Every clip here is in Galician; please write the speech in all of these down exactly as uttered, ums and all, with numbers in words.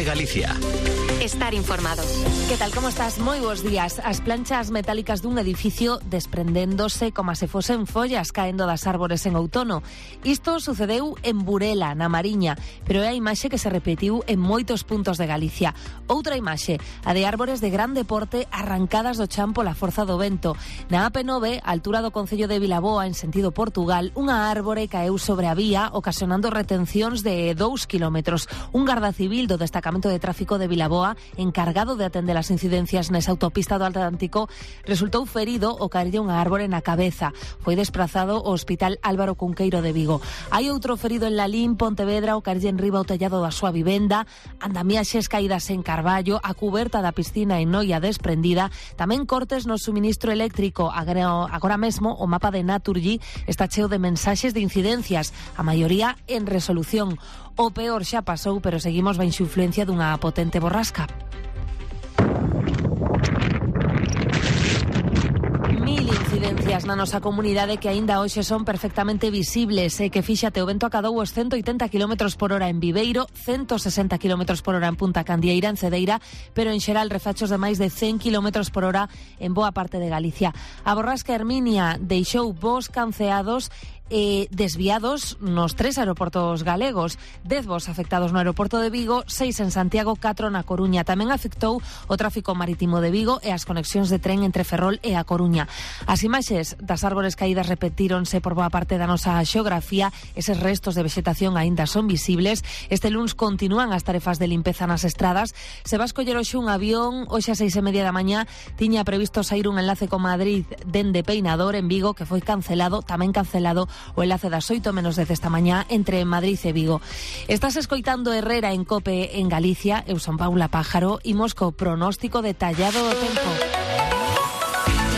Galicia. Estar informado. Que tal, como estás? Moi bons días. As planchas metálicas dun edificio desprendéndose como se fosen follas caendo das árbores en outono. Isto sucedeu en Burela, na Mariña, pero é a imaxe que se repetiu en moitos puntos de Galicia. Outra imaxe, a de árbores de grande porte arrancadas do chan pola forza do vento. Na A P nove, a altura do concello de Vilaboa, en sentido Portugal, unha árbore caeu sobre a vía, ocasionando retencións de dous kilómetros. Un garda civil do destacamento de tráfico de Vilaboa, encargado de atender as incidencias nesa autopista do Atlántico, resultou ferido ao caerlle unha árbore na cabeza. Foi desprazado ao Hospital Álvaro Cunqueiro de Vigo. Hai outro ferido en Lalín, Pontevedra, ao caerlle enriba o tellado da súa vivenda, andamiaxes caídas en Carballo, a cuberta da piscina en Noia desprendida, tamén cortes no suministro eléctrico. Agora mesmo o mapa de Naturgy está cheo de mensaxes de incidencias, a maioría en resolución. O peor xa pasou, pero seguimos baixo influencia dunha potente borrasca. Mil incidencias na nosa comunidade que aínda hoxe son perfectamente visibles e que, fíxate, o vento acadou os ciento oitenta kilómetros por hora en Viveiro, ciento sesenta kilómetros por hora en Punta Candieira, en Cedeira, pero en xeral refachos de máis de cen kilómetros por hora en boa parte de Galicia. A borrasca Herminia deixou voos canceados e desviados nos tres aeroportos galegos, dez voos afectados no aeroporto de Vigo, seis en Santiago, catro na Coruña. Tamén afectou o tráfico marítimo de Vigo e as conexións de tren entre Ferrol e a Coruña. As imaxes das árbores caídas repetíronse por boa parte da nosa xeografía, eses restos de vexetación aínda son visibles. Este luns continúan as tarefas de limpeza nas estradas. Se vas coller hoxe un avión, hoxe a seis e media da mañá tiña previsto sair un enlace con Madrid dende Peinador en Vigo, que foi cancelado, tamén cancelado o enlace das oito menos dez esta mañá entre Madrid e Vigo. Estás escoitando Herrera en COPE en Galicia. Eu son Paula Pájaro, imos co pronóstico detallado do tempo.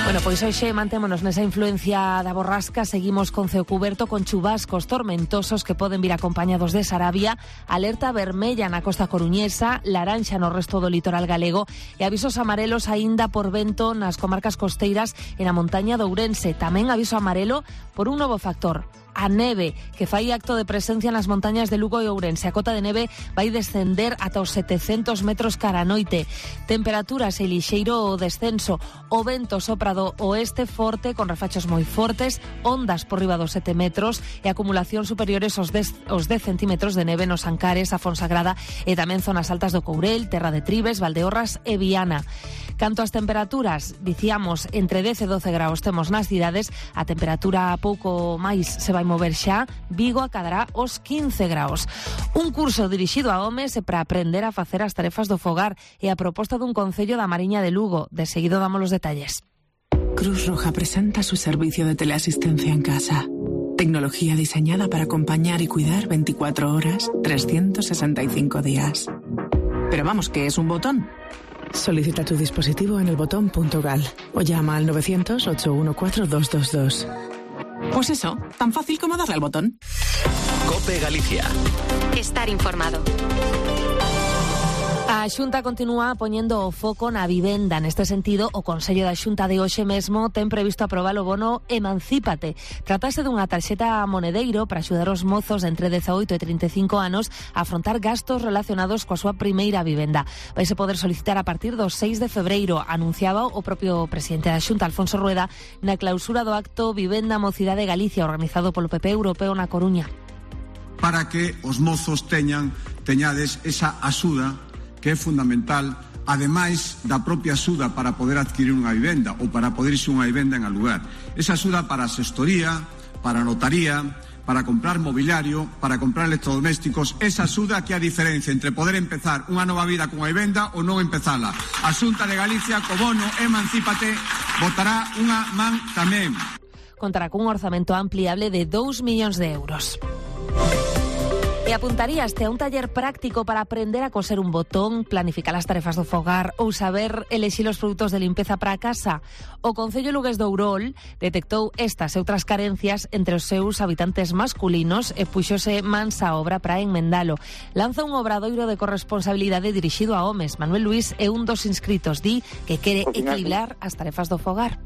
Bueno, pois hoxe mantémonos nesa influencia da borrasca, seguimos con ceo cuberto, con chubascos tormentosos que poden vir acompañados de Sarabia, alerta vermella na costa coruñesa, laranxa no resto do litoral galego e avisos amarelos aínda por vento nas comarcas costeiras e na montaña de Ourense. Tamén aviso amarelo por un novo factor, a neve, que fai acto de presencia nas montañas de Lugo e Ourense. A cota de neve vai descender ata os setecentos metros cara a noite. Temperaturas e lixeiro descenso. O vento sopra do oeste forte, con refachos moi fortes, ondas por riba dos sete metros e acumulación superiores aos dez, aos dez centímetros de neve nos Ancares, a Fonsagrada e tamén zonas altas do Courel, Terra de Tribes, Valdeorras e Viana. Canto ás temperaturas, dicíamos, entre dez e doce graus temos nas cidades, a temperatura pouco máis se vai mover xa, Vigo acadará os quince graus. Un curso dirixido a homes e para aprender a facer as tarefas do fogar e a proposta dun concello da Mariña de Lugo. De seguido damos los detalles. Cruz Roja presenta su servicio de teleasistencia en casa. Tecnología diseñada para acompañar y cuidar veinticuatro horas, trescientos sesenta y cinco días. Pero vamos, ¿qué es un botón? Solicita tu dispositivo en el botón punto gal o llama al novecientos, ocho uno cuatro, dos dos dos. Pues eso, tan fácil como darle al botón. COPE Galicia. Estar informado. A Xunta continúa poñendo o foco na vivenda. Neste sentido, o Consello da Xunta de hoxe mesmo ten previsto aprobar o bono Emancípate. Tratase dunha tarxeta monedeiro para axudar os mozos de entre dezaoito e trinta e cinco anos a afrontar gastos relacionados coa súa primeira vivenda. Vaise poder solicitar a partir do seis de febreiro, anunciaba o propio presidente da Xunta, Alfonso Rueda, na clausura do acto Vivenda Mocidade Galicia, organizado polo P P Europeo na Coruña. Para que os mozos teñan, teñades esa axuda que é fundamental, ademais da propia axuda para poder adquirir unha vivenda ou para poder irse unha vivenda en alugar. Esa axuda para a xestoría, para a notaría, para comprar mobiliario, para comprar electrodomésticos, esa axuda que é a diferencia entre poder empezar unha nova vida con a vivenda ou non empezala. A Xunta de Galicia, co bono Emancípate, botará unha man tamén. Contará cun orzamento ampliable de dous millóns de euros. E apuntaríaste a un taller práctico para aprender a coser un botón, planificar as tarefas do fogar ou saber elexir os produtos de limpeza para a casa. O Concello Lugués de Ourol detectou estas e outras carencias entre os seus habitantes masculinos e puxose mansa obra para enmendalo. Lanza un obradoiro de corresponsabilidade dirixido a homes. Manuel Luís é un dos inscritos, di que quere equilibrar as tarefas do fogar.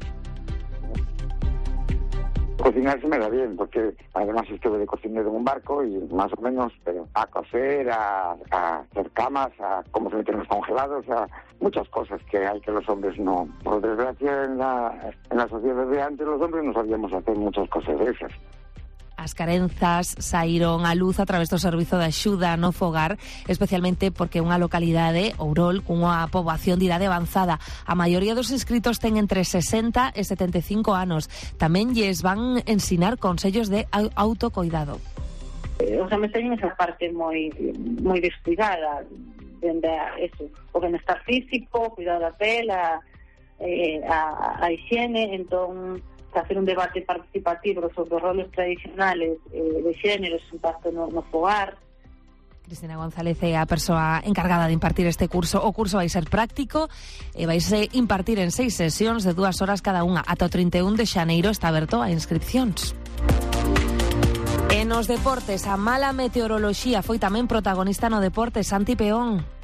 Cocinar se me da bien, porque además estuve de cocinero en un barco y más o menos, pero a coser, a, a hacer camas, a cómo se meten los congelados, a muchas cosas que hay que los hombres no. Por desgracia, en la, en la sociedad de antes los hombres no sabíamos hacer muchas cosas de esas. As carenzas saíron á luz a través do Servizo de Axuda no Fogar, especialmente porque é unha localidade, Ourol, cunha poboación de idade avanzada. A maioría dos inscritos ten entre sesenta e setenta e cinco anos. Tamén lles van ensinar consellos de autocoidado. Os homes teñen esa parte moi moi descuidada, dende eso, o benestar físico, cuidado da pele, a, a, a higiene, entón hacer un debate participativo sobre os roles tradicionales eh, de xénero, su impacto no, no fogar. Cristina González é a persoa encargada de impartir este curso. O curso vai ser práctico e vai se impartir en seis sesións de dúas horas cada unha. Ata o trinta e un de xaneiro está aberto a inscripcións. E nos deportes, a mala meteoroloxía foi tamén protagonista no deporte. Santi Peón.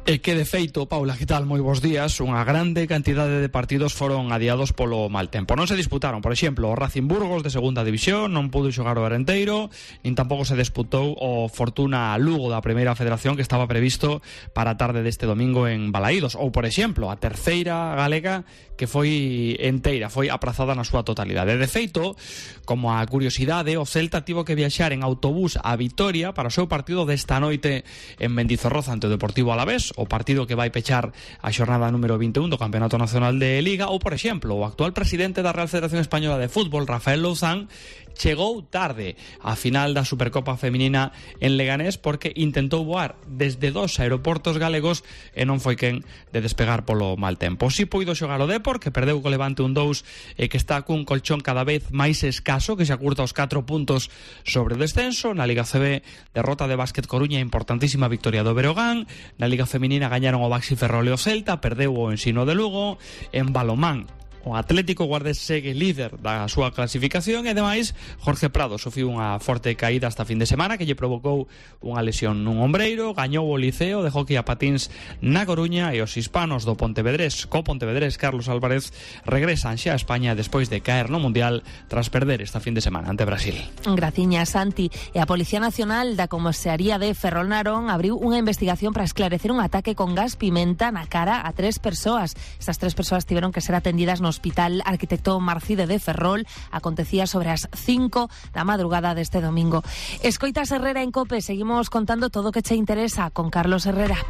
E que de feito, Paula, que tal? Moi bons días. Unha grande cantidade de partidos foron adiados polo mal tempo. Non se disputaron, por exemplo, o Racing Burgos de segunda división, non pudo xogar o Arenteiro, nin tampouco se disputou o Fortuna Lugo da Primeira Federación, que estaba previsto para a tarde deste domingo en Balaídos. Ou, por exemplo, a terceira galega, que foi enteira, foi aprazada na súa totalidade. De feito, como a curiosidade, o Celta tivo que viaxar en autobús a Vitoria para o seu partido desta noite en Mendizorroza ante o Deportivo Alavés, o partido que vai pechar a xornada número vinte e un do Campeonato Nacional de Liga. Ou, por exemplo, o actual presidente da Real Federación Española de Fútbol, Rafael Louzán, chegou tarde á final da Supercopa Feminina en Leganés porque intentou voar desde dos aeroportos galegos e non foi quen de despegar polo mal tempo. Si puido xogar o Depor, que perdeu co Levante un dous e que está cun colchón cada vez máis escaso, que se acurta os catro puntos sobre o descenso. Na Liga C B, derrota de Básquet Coruña, importantísima victoria do Berogán. Na Liga Feminina gañaron o Baxi Ferrol e o Celta, perdeu o Ensino de Lugo. En balomán, o Atlético Guardés segue líder da súa clasificación e, ademais, Jorge Prado sufriu unha forte caída esta fin de semana que lle provocou unha lesión nun ombreiro. Gañou o Liceo de hockey a patins na Coruña e os hispanos do Pontevedrés, co Pontevedrés, Carlos Álvarez, regresan xa a España despois de caer no Mundial tras perder esta fin de semana ante Brasil. Graciña, Santi. E a Policía Nacional da Comisaría de Ferrol Narón abriu unha investigación para esclarecer un ataque con gas pimenta na cara a tres persoas. Estas tres persoas tiveron que ser atendidas no Hospital Arquitecto Marcide de Ferrol. Acontecía sobre as cinco da madrugada deste domingo. Escoitas Herrera en COPE. Seguimos contando todo o que che interesa con Carlos Herrera.